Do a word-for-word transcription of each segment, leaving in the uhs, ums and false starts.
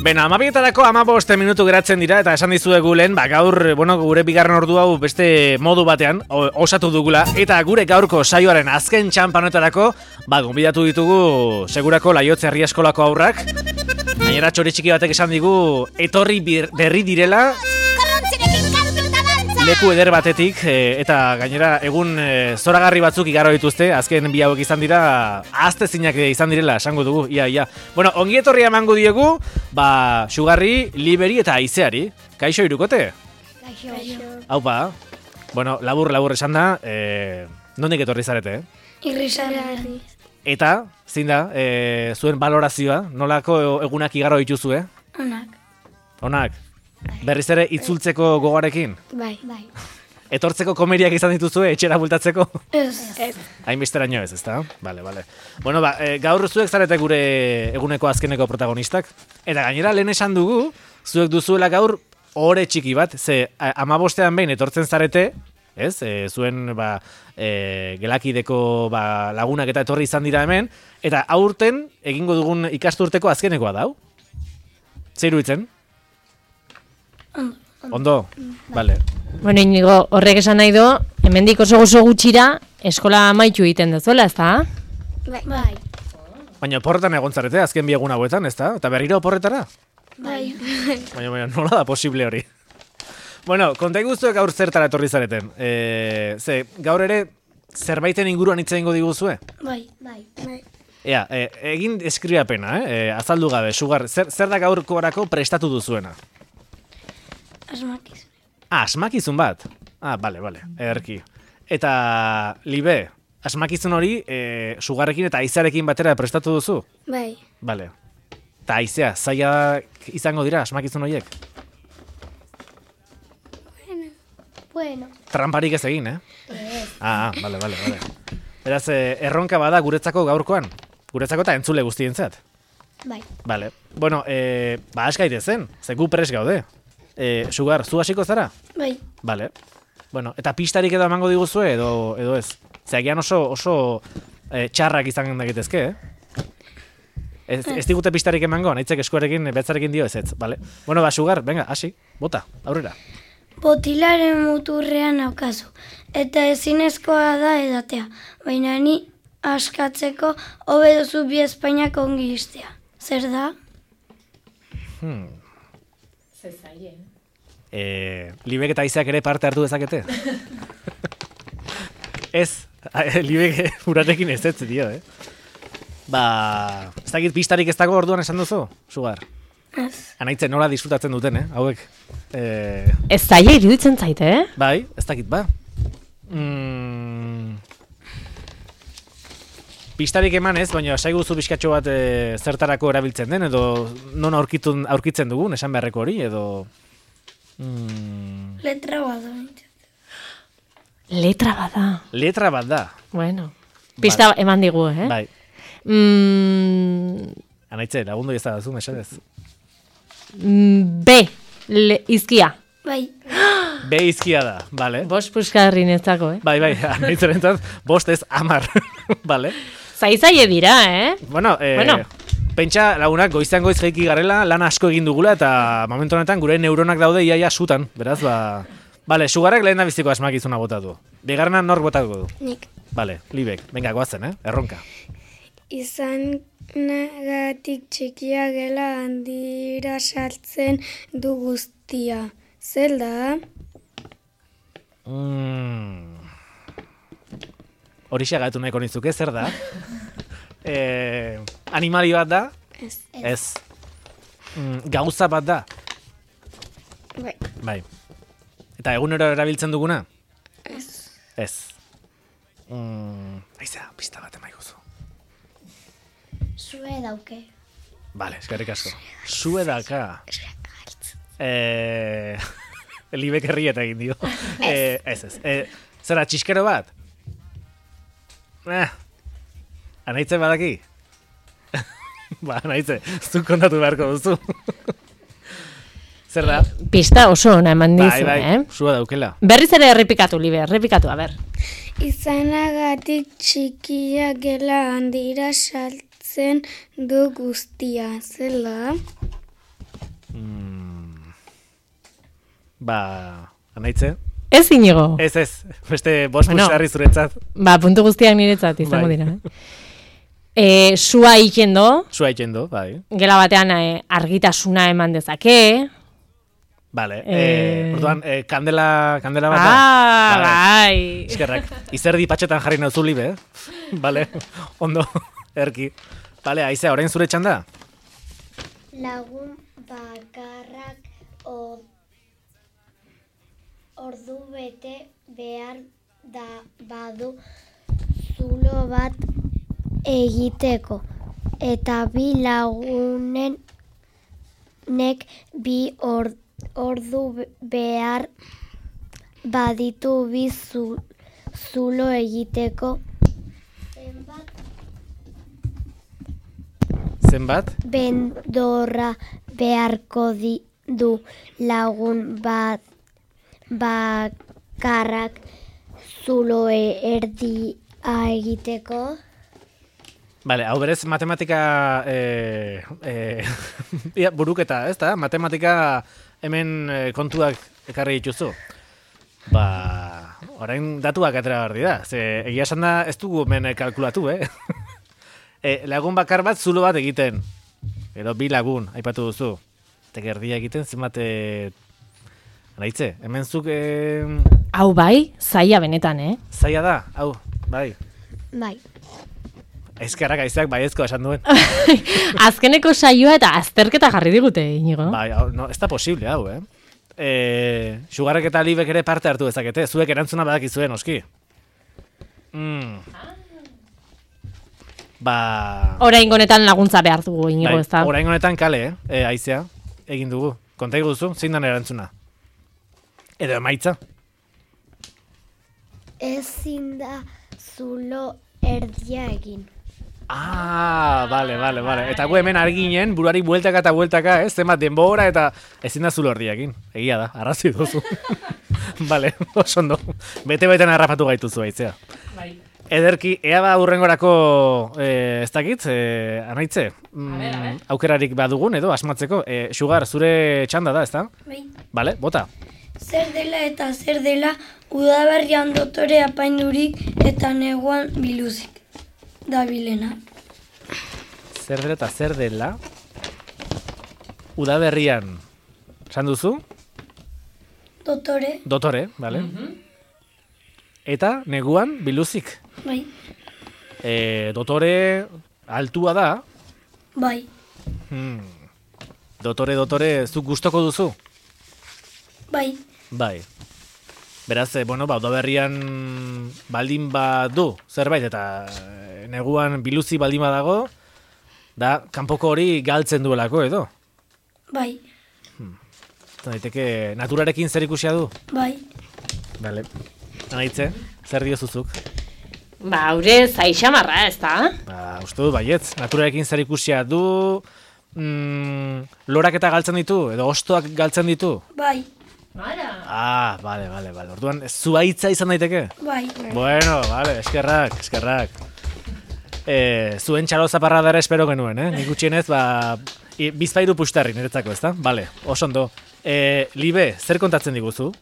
Bena, amabietarako amaboste minutu geratzen dira, eta esan dizuegu lehen, ba, gaur, bueno, gure bigarren ordu hau beste modu batean osatu dugula, eta gure gaurko saioaren azken txampanoetarako, ba, gonbidatu ditugu segurako Laiotze Herri Eskolako haurrak, gainera txori txiki batek esan digu, etorri berri direla, leku eder batetik, e, eta gainera egun e, zoragarri batzuk igaro dituzte, azken bi hauek izan dira, ahaztezinak izan direla, esango dugu, ia, ia. Bueno, ongi etorria emango diegu, ba, Xugarri, Liberi eta Aizeari. Kaixo irukote? Kaixo. Haupa, bueno, labur, labur esan da, e, nondik etorri zarete, eh? Irrisarri. Eta, zein da, e, zuen balorazioa, nolako egunak igaro dituzu, eh? Onak. Onak. Berriz ere itzultzeko gogarekin? Bai. Bai. Etortzeko komeriak izan dituzue, etxera bultatzeko? Ez. Ez. Hainbesteraino ez, ezta? Bale, bale. Bueno, ba, e, gaur zuek zarete gure eguneko azkeneko protagonistak. Eta gainera lehen esan dugu, zuek duzuela gaur ore txiki bat, ze amabostean behin etortzen zarete, ez? E, zuen, ba, e, gelakideko ba, lagunak eta etorri izan dira hemen, eta aurten egingo dugun ikasturteko azkenekoa dau? Zer iruditzen? Ondo. Ondo? Bale. Bueno, Inigo, horrek esan nahi do, hemendik oso gozo gutxira, eskola amaitu egiten duzuela, ez da? Bai. Bai. Baina oporretan egon zarete, azken bi egun hauetan, ez da? Eta berriro oporretara? Bai. Baina, baina, nola da posible hori? Bueno, konta iguzuek gaur zertara etorri zareten. E, ze, gaur ere, zerbaiten inguruan hitz egingo diguzue? Bai. Bai. Bai. Ea, e, egin eskriapena, eh? E, azaldu gabe, Xugar, zer, zer da gaurkorako prestatu duzuena? Asmakizun. Ah, asmakizun bat? Ah, bale, bale, ederki. Eta, Libe, asmakizun hori, e, Xugarrekin eta Aizearekin batera prestatu duzu? Bai. Bale. Eta Aizea, zaila izango dira asmakizun horiek? Bueno. Bueno. Tramparik ez egin, eh? Ez. Ah, bale, bale, bale. Beraz, eh, erronka bada guretzako gaurkoan? Guretzako eta entzule guztientzat? Bai. Bale. Bueno, eh, ba, askaite zen, ze gu pres gaude. Eh, Xugar, zu hasiko zara? Bai. Bale. Bueno, eta pistarik edo emango diguzue edo, edo ez? Zeagian oso, oso eh, txarrak izan dakitezke, eh? Ez, ez digute pistarik emango, nahitzek eskuarekin, betzarekin dio ez ez, bale? Bueno, ba, Xugar, venga, hasi, bota, aurrera. Botilaren muturrean aukazu, eta ezinezkoa da edatea, baina ni askatzeko hobe duzu bi Espainiak ongi istea. Zer da? Hmm. Eh, Libek eta Aizeak ere parte hartu dezakete? Ez, Libek urarekin ez ez dio, eh? Ba, ez dakit pistarik ez dago orduan esan duzu, Xugar? Ez. Anaitzen nola disfrutatzen duten, eh? Hauek. Eh... Ez zaila iruditzen zaite, eh? Bai, ez dakit, ba. Mm... Pistarik eman ez, baina saiguzu bizkatxo bat e, zertarako erabiltzen den, edo non aurkitun, aurkitzen dugun, esan beharreko hori, edo... Mm... Letra bat da. Letra bat da. Letra bat da. Bueno, pista Bai. eman digu, eh? Bai. Mm, Anaitze, lagundu ez da zu, mesedez. mm, B, le, izkia. Bai. B izkia da, bale. Bost puskarri netzako, eh? Bai, bai, anaitzerentzat, bost ez amar, bale. Zaizaie dira, eh? Bueno, eh, Bueno. pentsa lagunak goizean goiz jaiki garela, lan asko egin dugula, eta momentu honetan gure neuronak daude iaia sutan, beraz, ba... Bale, Xugarrek lehen da biziko asmakizuna botatu. Bigarrenan nork botatuko du? Nik. Bale, Libek, venga, goazen, eh? Erronka. Izan nagatik txikia gela handira sartzen du guztia. Zer da? Mm. Horixe gaitu nahiko nizuke, zer da? eh, animali bat da? Ez. Ez. Mm, gauza bat da? Bai. Bai. Eta egunero erabiltzen duguna? Ez. Ez. Mm, Aizea, pista bat emaiguzu. Zue dauke. Bale, eskerrik asko. Zue daka. Eh, Libek herrieta egin dio. eh, ez ez. Eh, zera, txiskero bat? Eh, anaitze badaki? Ba, anaitze, zuk kontatu beharko duzu. Zer da? Pista oso ona eman dizu, Bai, bai, eh? zua daukela. Berriz ere errepikatu, Libe, errepikatu, a ber. izanagatik txikia gela handira saltzen du guztia, zela? Mm. Ba, anaitze? Ez Inigo. Ez, ez, beste bost Bueno. bueno, zuretzat. Ba, puntu guztiak niretzat izango Bai. dira. Eh? E, sua ikendo, Zua egiten bai. gela batean eh, argitasuna eman dezake. Vale, Eh. eh, orduan, eh, kandela, kandela bat da? Ah, Vale. bai. Eskerrak, izerdi patxetan jarri nauzu libe, eh? Vale, ondo, erki. Vale, Aizea, orain zure txanda? Lagun bakarrak o, ordu bete behar da badu zulo bat egiteko. Eta bi lagunen nek bi or, ordu behar baditu bi zu, zulo egiteko. Zenbat Zenbat? bendorra beharko di, du lagun bat bakarrak zulo erdia egiteko. Vale, hau berez matematika eh, eh, ia, buruketa, ez da? Matematika hemen eh, kontuak ekarri dituzu. Ba, orain datuak atera behar dira. Ze, egia esan da ez dugu hemen eh, kalkulatu, eh? e, lagun bakar bat zulo bat egiten. Edo bi lagun, aipatu duzu. Tekerdia egiten, zenbat... Eh, Anaitze, hemen zuk... Eh, Hau bai, zaila benetan, eh? zaila da, hau, bai. Bai. Ezkerrak aizeak baiezko esan duen. Azkeneko saioa eta azterketa jarri digute, Inigo. Bai, hau, no, ez da posible hau, eh? E, Sugarrek eta Libek ere parte hartu dezakete, zuek erantzuna badakizuen, oski. Mm. Ba... Orain honetan laguntza behar dugu, Inigo, bai, ez da? orain honetan kale, eh? E, Aizea, egin dugu. Konta iguzu, zein dan erantzuna? Edo emaitza? Ezin da zulo erdia egin. Ah, vale, vale, vale. Eta gu hemen arginen, buruari bueltaka eta bueltaka, ez? Zenbat denbora eta ezin da zulo erdiakin. Egia da, arrazi duzu. Vale, oso ondo. Bete-beten harrapatu gaituzu Aizea. Bai. Ederki, ea ba urrengorako, eh, ez dakit, eh, anaitze, mm, aukerarik badugun edo asmatzeko. Eh, Sugar, zure txanda da, ez da? Bai. Vale, bota. Zer dela eta zer dela udaberrian dotore apaindurik eta neguan biluzik dabilena. Zer dela eta zer dela? Udaberrian, esan duzu? Dotore, Dotore, vale. Eta neguan biluzik. bai, E, dotore altua da. bai, Hmm. Dotore, dotore, zuk gustoko duzu? bai, Bai. Beraz, eh, bueno, ba, udaberrian baldin badu zerbait, eta eh, neguan biluzi baldin badago, da, kanpoko hori galtzen duelako edo. bai, Daiteke, naturarekin zer ikusia du? bai. Bale. Anaitze, zer diozuzuk? Ba, haure zaixamarra, ez da? Ba, uste du baietz, naturarekin zer ikusia du, mm, lorak eta galtzen ditu, edo hostoak galtzen ditu? Bai, Ah, bale, bale, bale. Orduan, zuaitza izan daiteke? bai, Bueno, vale, eskerrak, eskerrak. E, zuen txalo zaparra dara espero genuen, eh? Nik gutxienez, ba, i, bizpairu pustarri niretzako, ezta? Bale, oso ondo. E, Libe, zer kontatzen diguzu?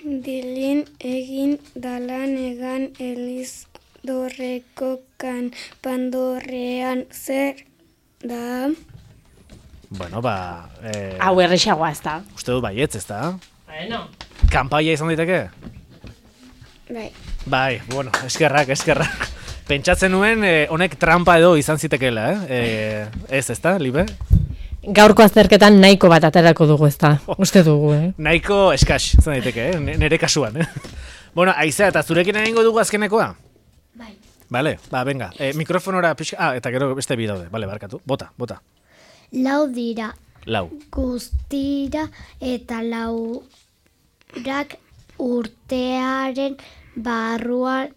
Dilin egin dalan egan eliz dorreko kan pandorrean zer da? Bueno, ba, e, Hau errexagoa, ez da? uste dut baietz, ezta? Bueno. Kanpaia izan daiteke? Bai. Bai, bueno, eskerrak, eskerrak. Pentsatzen nuen, eh, honek trampa edo izan zitekeela, eh? E, ez, ezta, Libe? Gaurko azterketan nahiko bat aterako dugu, ez da? Uste dugu, eh? Nahiko eskax, izan daiteke, eh? N- Nere kasuan, eh? Bueno, Aizea, eta zurekin egingo dugu azkenekoa? bai. Vale, ba, venga. E, mikrofonora pixka... Ah, eta gero beste bi daude. Vale, barkatu. Bota, bota. Lau dira Lau. guztira eta laurak urtearen barruan,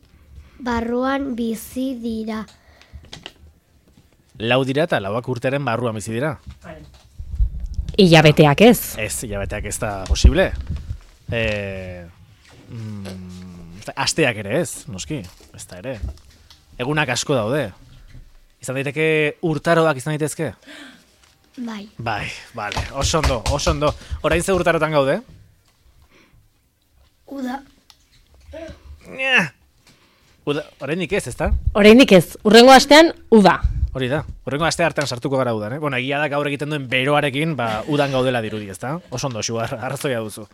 barruan bizi dira. Lau dira eta lauak urtearen barruan bizi dira. Hilabeteak ez. Ez, hilabeteak ez da posible. E, mm, ez asteak ere ez, noski, ez da ere. Egunak asko daude. Izan daiteke urtaroak izan daitezke? Bai. Bai, bale, oso ondo, oso ondo. Orain ze urtarotan gaude? Uda. Nya! Uda, oraindik ez, ezta? Oraindik ez, urrengo astean uda. Hori da, horrengo aste hartan sartuko gara udan, eh? Bueno, egia da gaur egiten duen beroarekin, ba, udan gaudela dirudi, ezta? Oso ondo, Sugar, arrazoia duzu.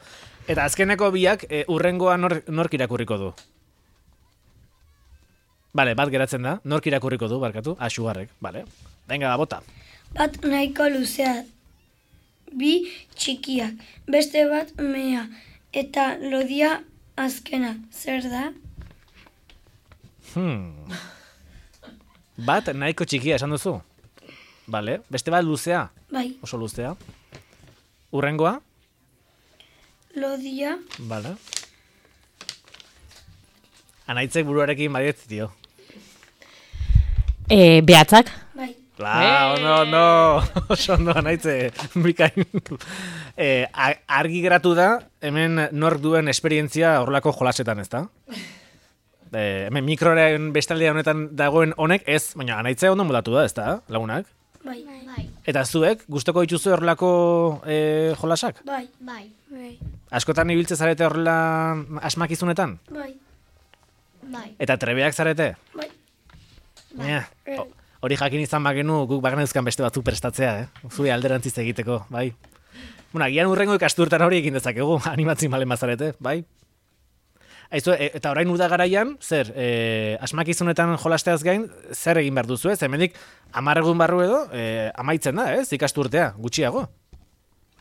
Eta azkeneko biak, e, urrengoa nor, nork irakurriko du? Bale, bat geratzen da, nork irakurriko du, barkatu? Ah, Sugarrek, bale. Venga, ba, bota. Bat nahiko luzea, bi txikiak, beste bat mea, eta lodia azkena, zer da? Hmm. Bat nahiko txikia esan duzu? Bale, beste bat luzea? Bai. Oso luzea. Urrengoa? Lodia. Bale. Anaitzek buruarekin badietz, tio. E, behatzak. Bai. La, ondo, ondo, oso ondo, anaitze, bikain. E, argi geratu da, hemen nork duen esperientzia horrelako jolasetan, ez da? E, hemen mikroaren bestaldea honetan dagoen honek ez, baina anaitzea ondo modatu da, ez da, lagunak? Bai. Bai. Eta zuek, gustoko dituzu horrelako e, jolasak? Bai. Bai. Bai. Askotan ibiltze zarete horrela asmakizunetan? Bai. Bai. Eta trebeak zarete? Bai. Ja, ho- hori jakin izan bagenu guk bagenezkan beste batzu prestatzea, eh? Zure alderantziz egiteko, bai. Bueno, agian urrengo ikasturtan hori egin dezakegu, animatzen balen bazarete, bai. Aizu, e, eta orain uda garaian, zer, e, asmakizunetan jolasteaz gain, zer egin behar duzu ez? Hemendik hamar egun barru edo, e, amaitzen da, ez? Ikasturtea, gutxiago.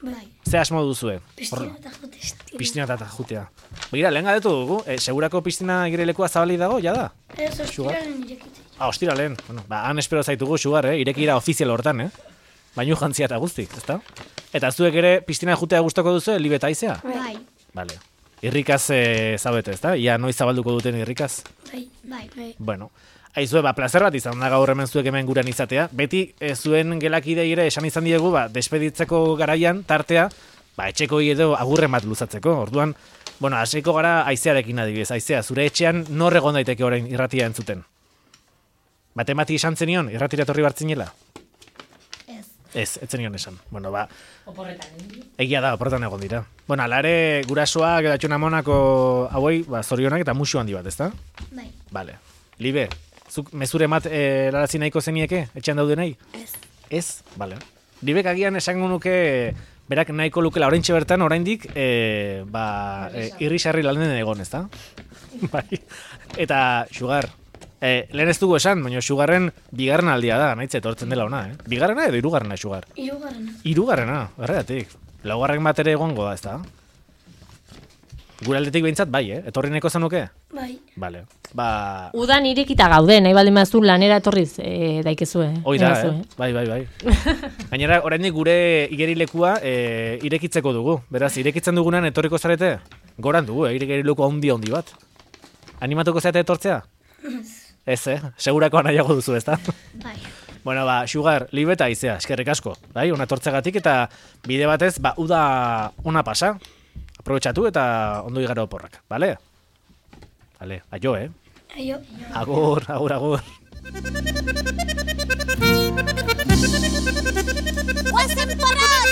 Bai. Ze asmo duzue? Pistina eta jute. Pistina eta jutea. Begira, lehen galdetu dugu, e, segurako pistina igerilekua zabalik dago, jada? Ez ostiraren irekitzen. Ah, ostira lehen. Bueno, ba, han espero zaitugu, Sugar, eh? Irekira ofizial hortan, eh? Bainu jantzia eta guzti, ezta? Eta zuek ere pistina jutea gustoko duzu, Libe eta Aizea? Bai. Vale. Irrikaz e, zabete, ezta? Ia noiz zabalduko duten irrikaz? Bai. Bai. Bai. Bueno, aizue, ba, plazer bat izan da gaur hemen zuek hemen gurean izatea. Beti e, zuen gelakidei ere esan izan diegu, ba, despeditzeko garaian, tartea, ba, etxeko edo agurren bat luzatzeko. Orduan, bueno, hasiko gara Aizearekin adibidez. Aizea, zure etxean nor egon daiteke orain irratia entzuten? Batemati esan zenion, irratira etorri bartzinela? Ez. Ez, ez zenion esan. Bueno, ba, egia da, oporretan egon dira. Bueno, alare gurasoak edo atxunamonako hauei, ba, zorionak eta musu handi bat, ezta? Bai. Vale. Libe, zuk mezure mat e, larazi nahiko zenieke, etxean daudenei? Ez. Ez? Vale. Libek agian esango nuke, berak nahiko lukela oraintxe bertan, oraindik, e, ba, e, irrisarri landen egon, ezta? Bai. Eta, Sugar, e, lehen ez dugu esan, baina Sugarren bigarren aldia da, nahitze etortzen dela ona, eh? Bigarrena edo hirugarrena, Sugar? Hirugarrena. Hirugarrena, erreatik. Laugarren bat ere egongo da, ezta? Gure aldetik behintzat bai, eh? Etorri nahiko zenuke? Bai. Vale. Ba... Udan irekita gaude, nahi baldin bazu lanera etorriz e, daikezue. Hoi da, eh? Bai, bai, bai. Gainera, oraindik gure igerilekua e, irekitzeko dugu. Beraz, irekitzen dugunan etorriko zarete? Goran dugu, eh? Igerileku handi handi bat. Animatuko zarete etortzea? Ez, eh? Segurako nahiago duzu, ezta? Bai. Bueno, ba, Sugar, Libe eta Aizea, eskerrik asko. Bai, ona etortzegatik eta bide batez, ba, uda ona pasa. Aprobetxatu eta ondo igaro oporrak, bale? Bale, aio, eh? Aio. Agur, agur, agur. Guazen porras,